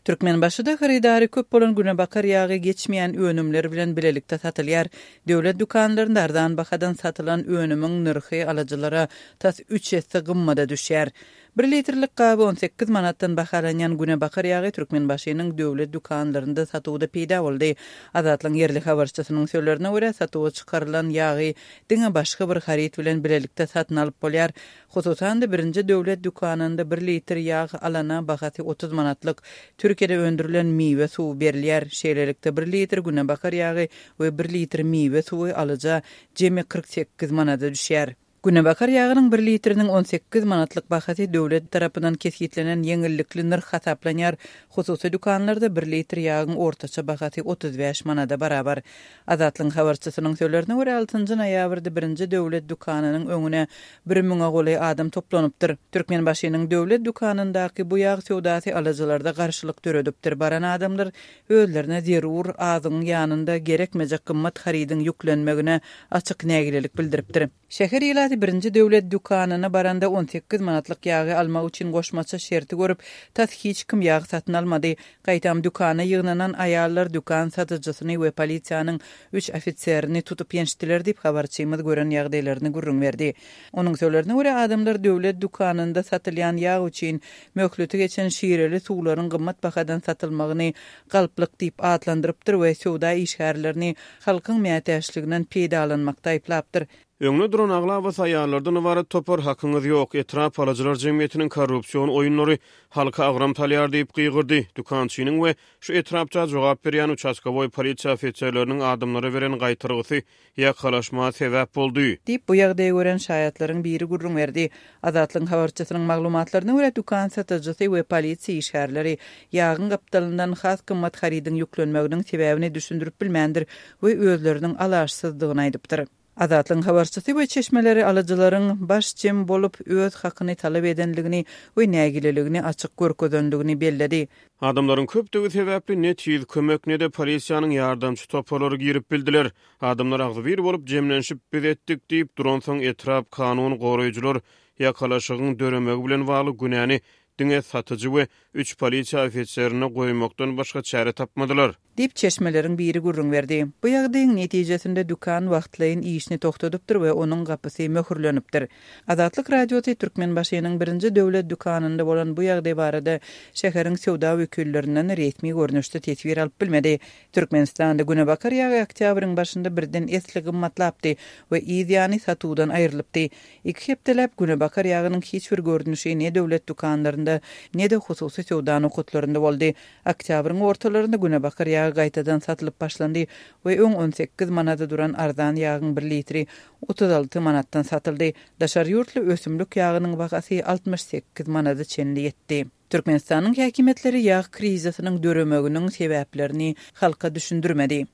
Türkmenbaşyda hyrydary köp bolan günebakar ýagy geçmeýän önümler bilen bilelikde satylýar. Döwlet dükanlarynda arzan bahadan satylan önümiň nyrhy alyjylara tas üç esse gymmada düşýär. Bir litrlik gaby 18 manatdan bahalanýan günebakar ýagy Türkmenbaşynyň döwlet dükanlarynda satuwda peýda boldy. Azatlygyň ýerli habarçysynyň sözlerine görä, satuwa çykarylan ýagy diňe başga bir haryt bilen bilelikde satyn alyp bolýar. Hususan-da, birinji döwlet dükanynda bir litr ýag alana bahasy 30 manatlyk Türkiýede öndürilen miwe suwy berilýär. Şeýlelikde, bir litr günebakar ýagy we bir litr miwe suwy alyja jemi 48 manada düşýär. Günebakar ýagynyň bir litriniň 18 manatlyk bahasy döwlet tarapyndan kesgitlenen ýeňillikli nyrh hasaplanýar. Hususy dükanlarda bir litr ýagyň ortaça bahasy 35 manada barabar. Azatlygyň habarçysynyň sözlerine görä, altynjy noýabrda birinji döwlet dükanynyň öňüne bir müňe golaý adam toplanypdyr. Türkmenbaşynyň döwlet dükanyndaky bu ýag söwdasy alyjylarda garşylyk döredipdir. Baran adamlar özlerine zerur azygyň ýanynda gerekmejek gymmat harydyň ýüklenmegine açyk nägilelik bildiripdir. Şäher ilaty birinji döwlet dükanyna baranda 18 manatlyk ýagy almak üçin goşmaça şerti görüp, tas hiç kim ýag satyn almady. Gaýtam dükana ýygnanan aýallar dükan satyjysyny we polisiýanyň üç ofiserini tutup ýençdiler diýip, habarçymyz gören ýagdaýlaryny gürrüň berdi. Onuň sözlerine görä, adamlar döwlet dükanynda satylýan ýag üçin möhleti geçen şireli suwlaryň gymmat bahadan satylmagyny galplyk diýip atlandyrypdyr we söwda işgärlerini halkyň mätäçliginden peýdalanmakda aýyplapdyr. Öňde duran aglabasy aýallardan ybarat topar Hakyňyz ýok, etrap alyjylar jemgyýetiniň korrupsion oýunlary halka agram salýar diýip gygyrdy. Dükançynyň we şu etrapça jogap berýän uçastkowoý polisiýa ofiserleriniň adamlara beren gaýtargysy ýakalaşma sebäp boldy. Diýip, bu ýagdaýy gören şaýatlaryň biri gürrüň berdi. Azatlygyň habarçysynyň maglumatlaryna görä, dükan satyjysy we polisiýa işgärleri ýagyň gapdalyndan has gymmat harydyň ýüklenmeginiň sebäbini düşündirip bilmändir we özleriniň alaçsyzdygyny aýdypdyr. Azatlygyň habarçysy we çeşmeleri alyjylaryň baş jem bolup, öz hakyny talap edendigini we nägileligini açyk görkezendigini belledi. Adamlaryň köpdügi sebäpli ne tiz kömek, ne-de polisiýanyň ýardamçy toparlary girip bildiler. Adamlar agzybir bolup jemlenişip biz etdik diýip duransoň etrap kanun goraýjylar ýakalaşygyň döremegi bilen bagly günäni diňe satyjy we üç polisiýa ofiserine goýmakdan başga çäre tapmadylar. Diýip, çeşmeleriň biri gürrüň berdi. Bu ýagdaýyň netijesinde dükan wagtlaýyn işini togtadypdyr we onuň gapysy möhürlenipdir. Azatlyk Radiosy Türkmenbaşynyň birinji döwlet dükanynda bolan bu ýagdaý barada şäheriň söwda wekillerinden resmi görnüşde teswir alyp bilmedi. Türkmenistanda günebakar ýagy oktýabryň başynda birden esli gymmatlapdy we yz ýany satuwdan aýrylypdy. Iki hepdeläp günebakar ýagynyň hiç bir görnüşi ne döwlet dükanlarynda, ne-de hususy söwda nokatlarynda boldy. Oktýabryň ortalarynda günebakar ýagy gaýtadan satylyp başlandy we öň 18 manada duran arzan ýagyň bir litri 36 manatdan satyldy. Daşary ýurtly ösümlik ýagynyň bahasy 68 manada çenli ýetdi. Türkmenistanyň häkimiýetleri ýag krizisiniň döremeginiň sebäplerini halka düşündirmedi.